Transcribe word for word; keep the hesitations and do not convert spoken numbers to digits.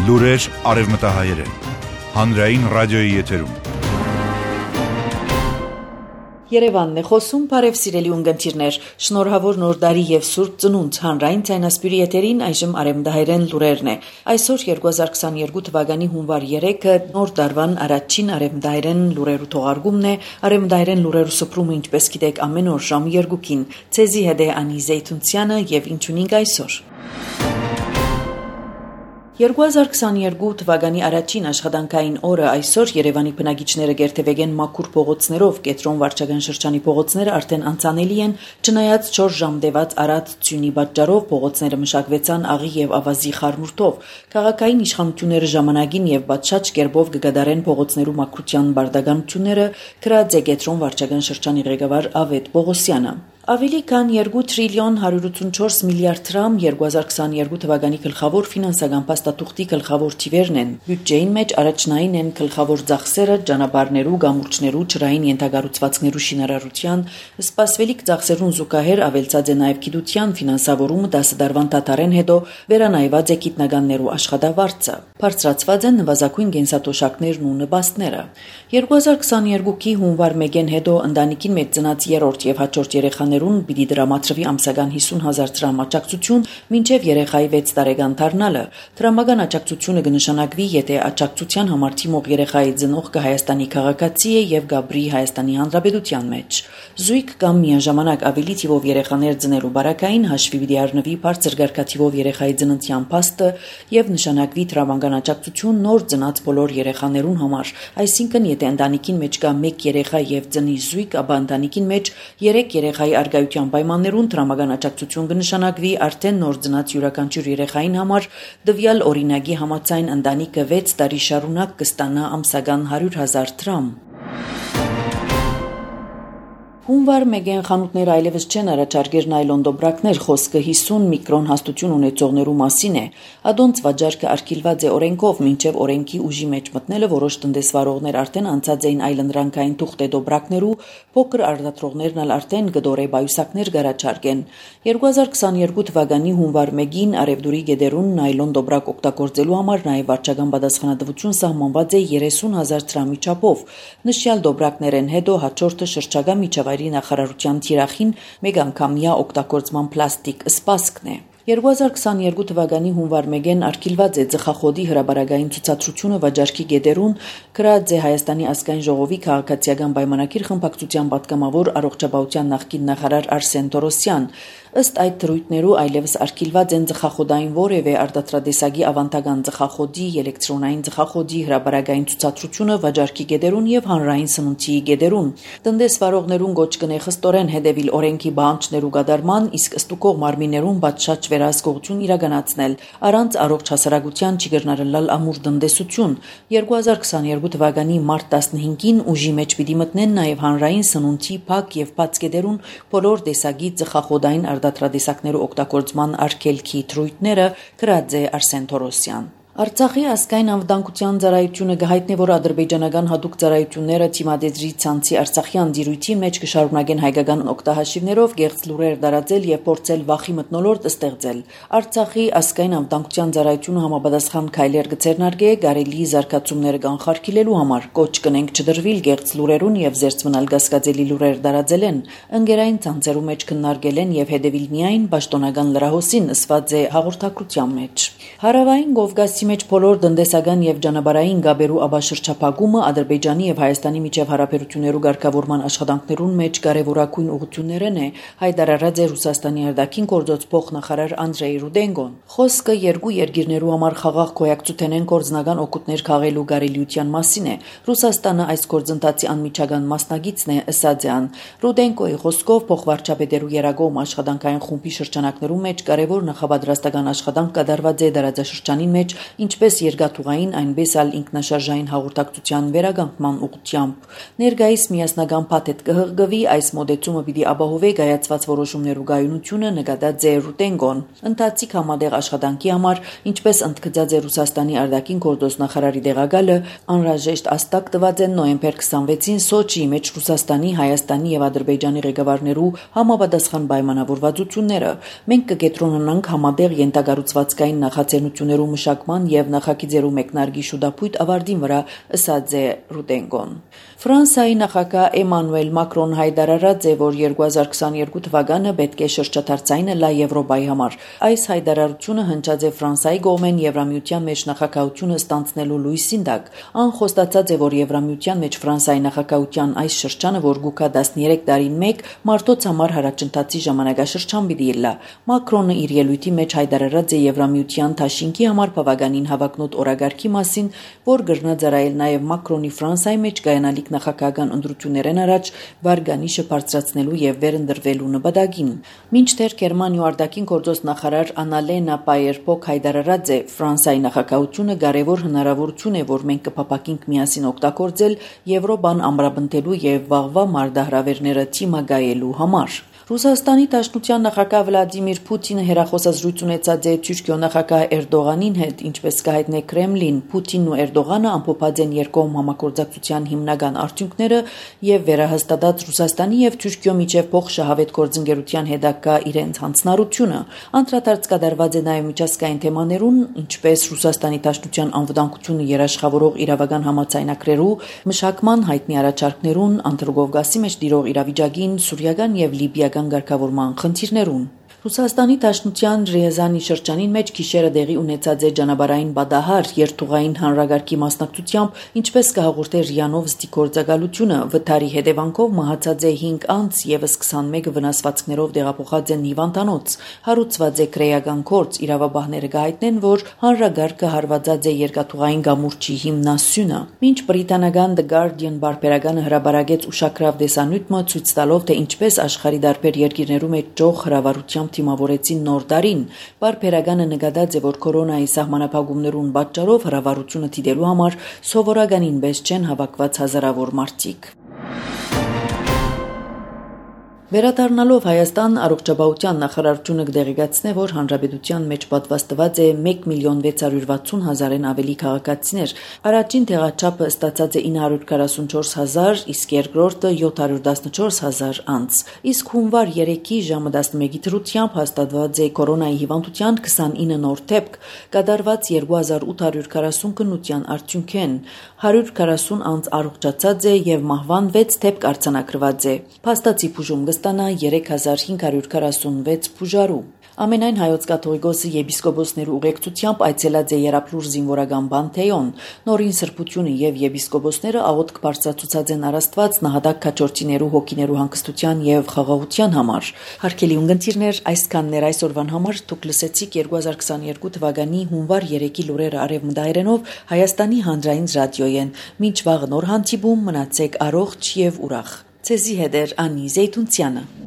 Լուրեր արևմտահայերեն, հանրային ռադիոյի եթերում։ Երևանն է խոսում, բարև սիրելի ունկնդիրներ, շնորհավոր նոր տարի եւ սուրբ ծնունդ, հանրային ցայնասպիրի եթերին այժմ արևմտահայերեն լուրերն է։ Այսօր երկու հազար քսաներկու թվականի հունվար երեքը նոր տարվան առաջին արևմտահայերեն լուրերու թողարկումն է, արևմտահայերեն լուրերու սփռումը ինչպես գիտեք ամեն օր ժամ երկուքին, ցեզի հետ է Անի Զեյթունցյանը եւ ինչունինք այսօր։ երկու հազար քսաներկու թվականի առաջին աշխատանքային օրը այսօր Երևանի բնակիչները գերտեվեգեն մաքուր փողոցներով, Կենտրոն վարչական շրջանի փողոցները արդեն անցանելի են, չնայած չորս ժամ տևած առատ ձյունի պատճառով փողոցները մշակվեցան աղի եւ ավազի խառնուրդով։ Քաղաքային իշխանությունները ժամանակին եւ պատշաճ կերպով կգադարեն փողոցներու մաքրության բարդականությունները, գրած է Կենտրոն վարչական շրջանի ղեկավար Ավետ Պողոսյանը։ Ավելի քան երկու տրիլիոն հարյուր ութսունչորս միլիարդ դրամ երկու հազար քսաներկու թվականի գլխավոր ֆինանսական փաստաթուղթի գլխավոր թիվերն են։ Բյուջեին մեջ առաջնային են գլխավոր ծախսերը, ճանապարհներու, գամուրջներու, ջրային ենթակառուցվածքներու շինարարության, սպասվելիք ծախսերուն զուգահեռ ավելցած է նաև գիտության ֆինանսավորումը դասը դարվան դատարեն հետո վերանայված է գիտնականներու աշխատավարձը։ Բարձրացված են նվազագույն կենսաթոշակներն ու նպաստները։ երկու հազար քսաներկուի հունվար մեկին հետո ընտանիքին մեջ ծնած երրորդ եւ հաջորդ երեխաներուն պիտի դրամատրվի ամսական հիսուն հազար դրամ աջակցություն մինչև երեխայի վեց տարեկան դառնալը։ Դրամական աջակցությունը կնշանակվի, եթե աջակցության համար թիմող երեխայի ծնողքը Հայաստանի քաղաքացի է եւ Գաբրի Հայաստանի Հանրապետության մեջ։ Զույգ կամ միաժամանակ ավելի թիվով երեխաներ ծնելու բարակային հաշվի պիտի առնվի բարձր գարկաթիվով երեխայի ծննդյան փաստը եւ նշանակվի դրամական աջակցություն նոր ծնած բոլոր երեխաներուն համար, այսինքն եթե ընտանիքին մեջ կա մեկ երեխա եւ ծնի զույգ, ապա ընտանիքին մեջ երեք երեխայի արգայության պայմաններուն դրամական աջակցություն կնշանակվի արդեն նոր ծնած յուրաքանչյուր երեխային համար տվյալ օրինակի համաձայն ընտանիքը վեց տարի շարունակ կստանա ամսական հարյուր հազար դրամ։ Հունվար մեկեն խանութները այլևս չեն առաջարկեր նայլոն դոբրակներ, խոսքը հիսուն միկրոն հաստություն ունեցողներու մասին է։ Ադոնց վաճառքը արգելված է օրենքով, մինչև օրենքի ուժի մեջ մտնելը որոշ տնտեսվարողներ արդեն անցած էին այլընտրանքային թուղթե դոբրակներու, փոքր արտադրողներն ալ արդեն գդորե բայուսակներ գարաչարկեն։ երկու հազար քսաներկու թվականի հունվար մեկին Արևդուրի գեդերուն նայլոն դոբրակ օգտագործելու համար նաև վարչական պատասխանատվություն սահմանված է երեսուն հազար դրամի չափով։ Նշյալ դոբրակներեն հետո հաջորդը շրջակա միջավայրի նախարարության թիրախին մեկ անգամյա օգտագործման պլաստիկ սպասքն է։ երկու հազար քսաներկու թվականի հունվար մեկին արգելված է ծխախոտի հրաբարակային ցուցադրությունը վաճառքի գեդերուն, գրած է Հայաստանի ազգային ժողովի քաղաքացիական պայմանագիր խմբակցության պատգամավոր առողջապահության նախկին նախարար Արսեն Տորոսյան։ Ըստ այդ դրույթներու այլևս արգելված են ծխախոտային որևէ արտադրատեսակի ավանդական ծխախոտի, էլեկտրոնային ծխախոտի հրաբարակային ցուցադրությունը վաճառքի գեդերուն եւ հանրային սնունդի գեդերուն։ Տնտեսվարողներուն գոչ կնե խստորեն հետևիլ օրենքի բանջներու գդարման, իսկ ստուկող մարմիններուն բացշաճ վերահսկողություն իրականացնել, առանց առողջ հասարակության չգրնարելալ ամուր տնտեսություն։ երկու հազար քսաներկու թվականի մարտ տասնհինգին ուժի մեջ պիտի մտնեն նաեւ հանրային սնունդի փակ եւ բաց գեդերուն բոլոր տեսակի ծխախոտային արտադրատեսակներու օգտագործման արգելքի դրույթները, գրած է Արսեն Թորոսյան։ Արցախի ազգային անվտանգության ծառայությունը գահիտնի, որ ադրբեջանական հատուկ ծառայությունները թիմադեզրի ցանցի արցախյան դիրույթի մեջ կշարունակեն հայկական օգտահաշիվներով գեղձ լուրեր տարածել եւ փորձել վախի մթնոլորտ ստեղծել։ Արցախի ազգային անվտանգության ծառայությունը համապատասխան քայլեր կձեռնարկե գարելի զարգացումները կանխարգելելու համար, կոչ կնենք չդրվիլ գեղձ լուրերուն եւ զերծ մնալ գասկածելի լուրեր տարածելեն։ Ընկերային ցանցերու մեջ քննարկել են եւ հետեւիլ միայն պաշտոնական լրահոսին ըսված է հաղորդակցության մեջ։ Հարավային Կովկասի մեջ բոլոր տնտեսական եւ ճանապարհային գաբերու աբաշրջափակումը Ադրբեջանի եւ Հայաստանի միջև հարաբերություններու ղեկավարման աշխատանքներուն մեջ կարևորագույն ուղղություններն է, հայտարարած է Ռուսաստանի արտաքին գործոց փոխնախարար Անդրեյ Ռուդենկոն։ Խոսքը երկու երկիրներու համար խաղաղ գոյակցութենեն կորձնական օգուտներ քաղելու կարելիության մասին է։ Ռուսաստանը այս գործընթացի անմիջական մասնագետն է, ըսած է ան։ Ռուդենկոյի խոսքով փոխվարչապետերու երագոմ աշխատանքային խումբի շրջանակներու մեջ կարևոր նախապատրաստական աշխատանք կատարված է դարաձաշրջանին մեջ, ինչպես երկաթուղային, այնպես էլ ինքնաշարժային հաղորդակցության վերականգնման ուղղությամբ։ Ներկայիս միասնական փաթեթ կհղկվի, այս մոդեցումը պիտի ապահովի կայացված որոշումներու գայունությունը, նկատած է Ռուդենկոն։ Ընթացիկ համատեղ աշխատանքի համար, ինչպես ընդգծած է Ռուսաստանի արտաքին գործոս նախարարի տեղակալը, անհրաժեշտ աստակ տված են նոյեմբեր քսանվեցին Սոչիի մեջ Ռուսաստանի, Հայաստանի եւ Ադրբեջանի ղեկավարներու համապատասխան պայմանավորվածությունները։ Մենք կկենտրոնանանք համատեղ ենթակառուցվածքային նախաձեռնություններու մշակման կառավարության եւ նախագիծերու մեկնարկի շուտապույտ ավարտին վրա ըսած է Ռուտենգոն։ Ֆրանսիայի նախագահ Էմանուել Մակրոն հայտարարած է, որ երկու հազար քսաներկու թվականը պետք է շրջադարձային լա Եվրոպայի համար։ Այս հայտարարությունը հնչած է Ֆրանսիայի կողմեն Եվրամիության մեջ նախագահությունը ստանձնելու լույսին տակ։ Ան խոստացած է, որ Եվրամիության մեջ Ֆրանսիայի նախագահության այս շրջանը, որ գուկա տասներեք տարին մեկ, մարդոց համար հարաճընթացի ժամանակաշրջան պիտի լա։ Մակրոնը իր ելույթի մեջ հայտարարած է Եվրամիության դաշինքի համար բավականին հավակնոտ օրագարկի մասին, որ գրնա ծառայել նաև Մակրոնի Ֆրանսիայի մեջ կայանալիք նախագահական ընտրություններն առաջ վարգանիշը բարձրացնելու եւ վերընտրվելու նպատակին։ Մինչդեռ Գերմանիայի արտաքին գործոս նախարար Անալենա Պայերփոկ հայտարարած է Ֆրանսիայի նախագահությունը կարևոր հնարավորություն է, որ մենք կփապակենք միասին օգտագործել Եվրոպան ամրապնդելու եւ վաղվա մարտահրավերները թիմակայելու համար։ Ռուսաստանի Դաշնության նախագահ Վլադիմիր Պուտինը հերախոսազրույց ունեցած է Թուրքիո նախագահ Էրդողանին հետ, ինչպես կհայտնե Կրեմլին։ Պուտինն ու Էրդողանը ամփոփած են երկկողմ համագործակցության հիմնական արդյունքները եւ վերահաստատած Ռուսաստանի եւ Թուրքիո միջև փոխշահավետ գործընկերության հետագա իրենց հանձնառությունը։ Անդրադարձ կատարված է նաեւ միջազգային թեմաներուն, ինչպես Ռուսաստանի Դաշնության անվտանգությունը երաշխավորող իրավական համաձայնագրերու, մշակման հայտնի առաջարկներուն, Անդրկովկասի մեջ տիրող իրավիճակին, սուրիական եւ լիբիական ղեկավարման խնդիրներուն։ Ռուսաստանի Դաշնության Ռիազանի շրջանին մեջ գիշերը դեղի ունեցած է ճանապարհային բադահար երթուղային հանրագարքի մասնակցությամբ, ինչպես կհաղորդե ՌԻԱ-նով ստիգործակալությունը, վթարի հետևանքով մահացած է հինգ անձ, եւս քսանմեկը վնասվածքներով տեղափոխած են հիվանդանոց։ Հարուցված է քրեական գործ, իրավաբանները կհայտնեն, որ հանրագարքը հարվածած է երկաթուղային գամուրջի հիմնասյունը։ Մինչ բրիտանական The Guardian բարբերականը հրապարակեց ուշագրավ տեսանյութը ցույց տալով, թե ինչպես աշխարհի տարբեր երկիրներու մեջ ճոխ հրավառությամբ թիմավորեցին նոր տարին, բարբերականը նկատած է, որ կորոնայի սահմանափակումներուն պատճառով հրավառությունը դիտելու համար սովորականին պես չեն հավաքված հազարավոր մարդիկ։ Վերադառնալով Հայաստան, առողջապահության նախարարությունը կդեղեկացնե, որ հանրապետության մեջ պատվաստված է մեկ միլիոն վեց հարյուր վաթսուն հազարեն ավելի քաղաքացիներ։ Առաջին տեղաչափը ստացած է ինը հարյուր քառասունչորս հազար, իսկ երկրորդը յոթ հարյուր տասնչորս հազար անց։ Իսկ հունվար երեքի ժամը տասնմեկի դրությամբ հաստատված է կորոնայի հիվանդության քսանինը նոր դեպք, կատարված երկու հազար ութ հարյուր քառասուն քննության արդյունքեն։ հարյուր քառասուն անց առողջացած է եւ մահվան վեց դեպք արձանագրված է։ Փաստացի բուժում կստանա երեք հազար հինգ հարյուր քառասունվեց բուժարու։ Ամենայն հայոց կաթողիկոսի եպիսկոպոսներու ուղեկցությամբ այցելած է Եռաբլուր զինվորական Պանթեոն։ Նորին սրբությունը եւ եպիսկոպոսները աղոթք բարձրացուցած են առաստված նահատակ քաջորդիներու հոգիներու հանգստության եւ խաղաղության համար։ Հարգելի ունկնդիրներ, այսքաններ այսօրվան համար դուք լսեցիք երկու հազար քսաներկու թվականի հունվար երեքի լուրերը արևմտայերենով Հայաստանի հանրային ռադիոյեն։ Մինչ վաղ նոր հանդիպում, մնացեք առողջ եւ ուրախ։ Ցեզի հետ է Անի Զեյթունցյանը։